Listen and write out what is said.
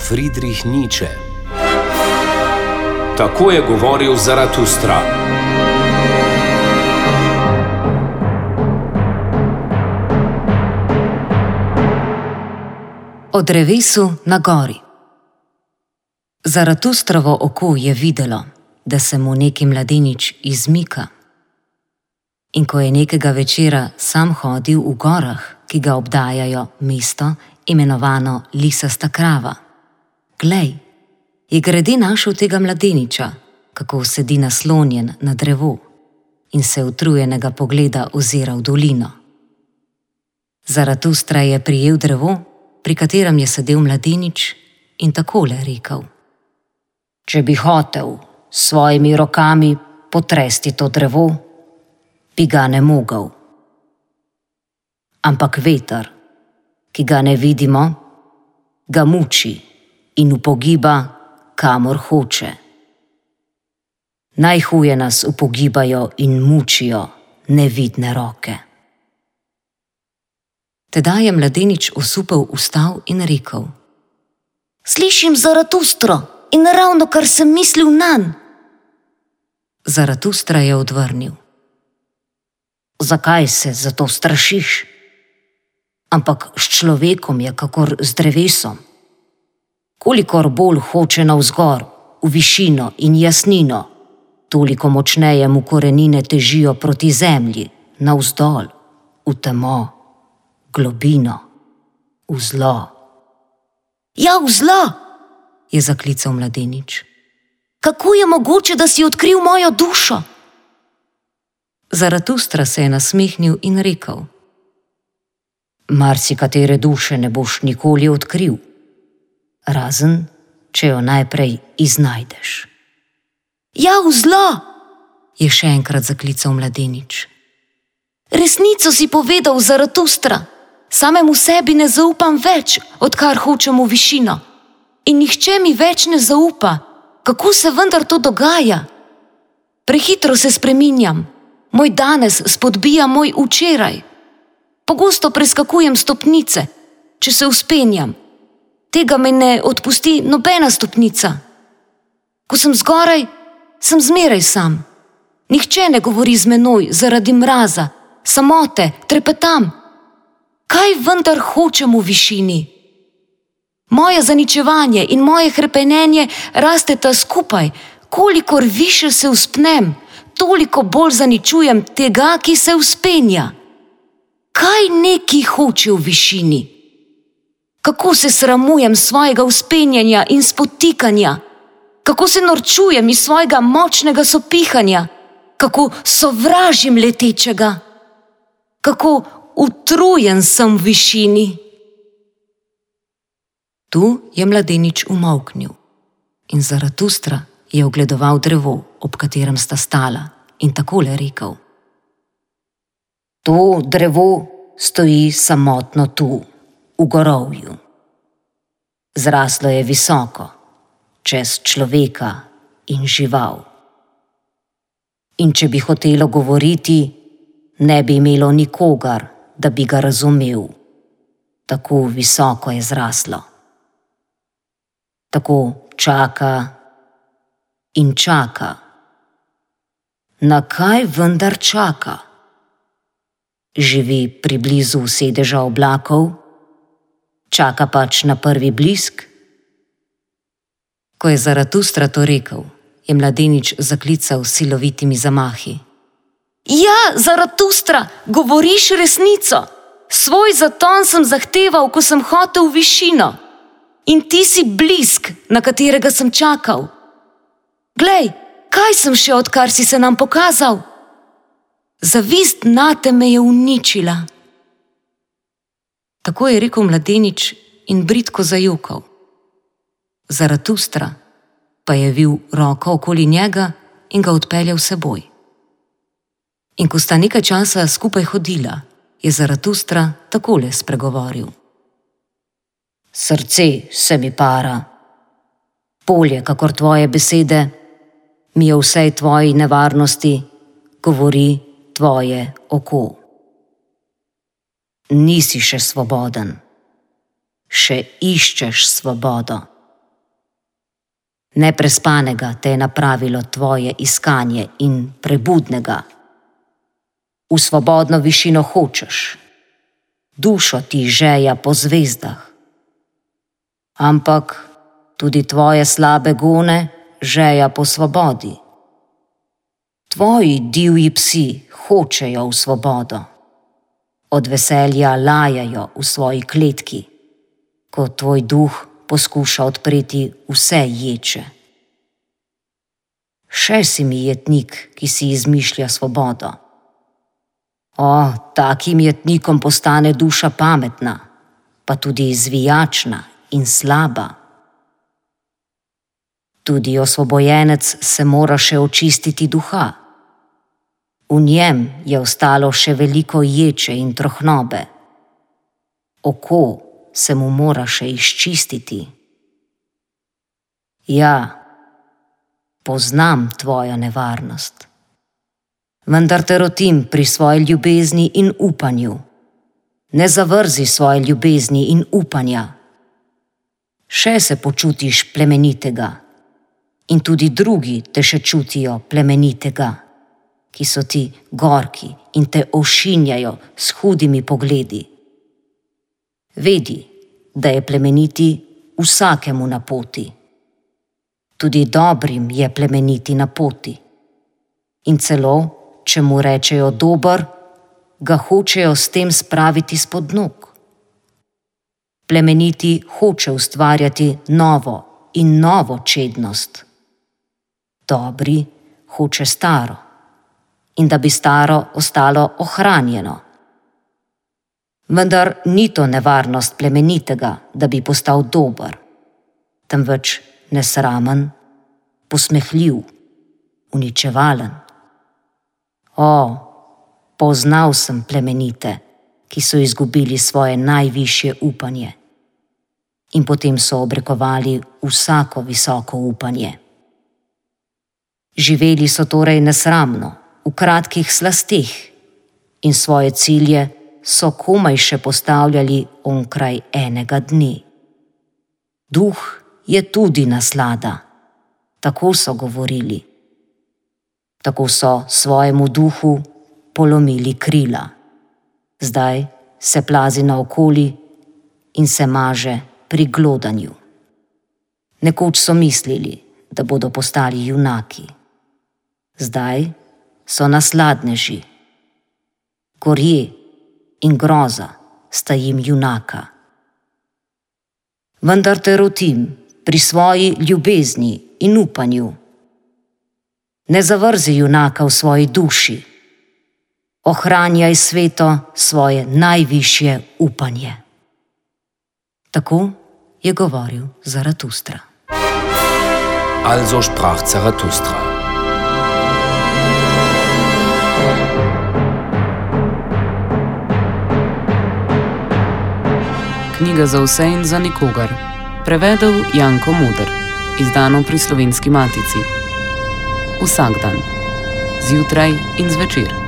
Friedrich Nietzsche. Tako je govoril Zaratustra. O drevesu na gori. Zaratustrovo oko je videlo, da se mu neki mladenič izmika. In ko je nekega večera sam hodil v gorah, ki ga obdajajo mesto, imenovano Lisasta krava, glej, je grede našel tega mladeniča, kako sedi naslonjen na drevo in se utrujenega pogleda ozira v dolino. Zaratustra je prijel drevo, pri katerem je sedel mladenič, in takole rekel: Če bi hotel s svojimi rokami potresti to drevo, bi ga ne mogel. Ampak veter, ki ga ne vidimo, ga muči in upogiba, kamor hoče. Najhuje nas upogibajo in mučijo nevidne roke. Tedaj je mladenič osupel vstal in rekel: Slišim Zaratustro in ravno kar sem mislil nanj. Zaratustra je odvrnil: Zakaj se zato strašiš? Ampak s človekom je kakor z drevesom. Kolikor bolj hoče navzgor, v višino in jasnino, toliko močneje mu korenine težijo proti zemlji, navzdol, v temo, globino, v zlo. Ja, v zlo, je zaklical mladenič. Kako je mogoče, da si odkril mojo dušo? Zaratustra se je nasmehnil in rekel: Marsikatere duše ne boš nikoli odkril, razen če jo najprej iznajdeš. Ja, v zlo, je še enkrat zaklical mladenič. Resnico si povedal, Zaratustra, samemu sebi ne zaupam več, odkar hočem v višino. In nihče mi več ne zaupa, kako se vendar to dogaja. Prehitro se spreminjam, moj danes spodbija moj včeraj. Pogosto preskakujem stopnice, če se vzpenjam. Tega me ne odpusti nobena stopnica. Ko sem zgoraj, sem zmeraj sam. Nihče ne govori z menoj zaradi mraza, samote, trepetam. Kaj vendar hočem v višini? Moje zaničevanje in moje hrepenenje rasteta skupaj. Kolikor više se vzpnem, toliko bolj zaničujem tega, ki se vzpenja. Kaj neki hoče v višini? Kako se sramujem svojega vzpenjanja in spotikanja? Kako se norčujem iz svojega močnega sopihanja? Kako sovražim letečega? Kako utrujen sem v višini? Tu je mladenič umolknil in Zaratustra je ogledoval drevo, ob katerem sta stala, in takole rekel: To drevo stoji samotno tu, v gorovju. Zraslo je visoko, čez človeka in žival. In če bi hotelo govoriti, ne bi imelo nikogar, da bi ga razumel. Tako visoko je zraslo. Tako čaka in čaka. Na kaj vendar čaka? Živi priblizu sedeža oblakov? Čaka pač na prvi blisk? Ko je Zaratustra to rekel, je mladenič zaklical s silovitimi zamahi: Ja, Zaratustra, govoriš resnico. Svoj zaton sem zahteval, ko sem hotel v višino. In ti si blisk, na katerega sem čakal. Glej, kaj sem še, odkar si se nam pokazal? Zavist nate me je uničila. Tako je rekel mladenič in bridko zajokal. Zaratustra pa je vil roko okoli njega in ga odpeljal s seboj. In ko sta nekaj časa skupaj hodila, je Zaratustra takole spregovoril: Srce se mi para. Bolje, kakor tvoje besede, mi je vsej tvoji nevarnosti govori tvoje oko. Nisi še svoboden. Še iščeš svobodo. Neprespanega te je napravilo tvoje iskanje in prebudnega. V svobodno višino hočeš, dušo ti žeja po zvezdah. Ampak tudi tvoje slabe gone žeja po svobodi. Tvoji divji psi hočejo v svobodo. Od veselja lajajo v svoji kletki, ko tvoj duh poskuša odpreti vse ječe. Še si mi jetnik, ki si izmišlja svobodo. O, takim jetnikom postane duša pametna, pa tudi zvijačna in slaba. Tudi osvobojenec se mora še očistiti duha. V njem je ostalo še veliko ječe in trohnobe. Oko se mu mora še izčistiti. Ja, poznam tvojo nevarnost. Vendar te rotim pri svoji ljubezni in upanju. Ne zavrzi svoje ljubezni in upanja. Še se počutiš plemenitega in tudi drugi te še čutijo plemenitega, ki so ti gorki in te ošinjajo s hudimi pogledi. Vedi, da je plemeniti vsakemu na poti. Tudi dobrim je plemeniti na poti. In celo, če mu rečejo dober, ga hočejo s tem spraviti spod nog. Plemeniti hoče ustvarjati novo in novo čednost. Dobri hoče staro in da bi staro ostalo ohranjeno. Vendar ni to nevarnost plemenitega, da bi postal dober, temveč nesramen, posmehljiv, uničevalen. O, poznal sem plemenite, ki so izgubili svoje najvišje upanje in potem so obrekovali vsako visoko upanje. Živeli so torej nesramno, v kratkih slasteh in svoje cilje so komaj še postavljali onkraj enega dne. Duh je tudi naslada, tako so govorili. Tako so svojemu duhu polomili krila. Zdaj se plazi naokoli in se maže pri glodanju. Nekoč so mislili, da bodo postali junaki. Zdaj so nasladneži. Gorje in groza sta jim junaka. Vendar te rotim pri svoji ljubezni in upanju. Ne zavrzi junaka v svoji duši. Ohranjaj sveto svoje najvišje upanje. Tako je govoril Zaratustra. Also sprach Zarathustra. Knjiga za vse in za nikogar. Prevedel Janko Moder. Izdano pri Slovenski matici. Vsak dan. Zjutraj in zvečer.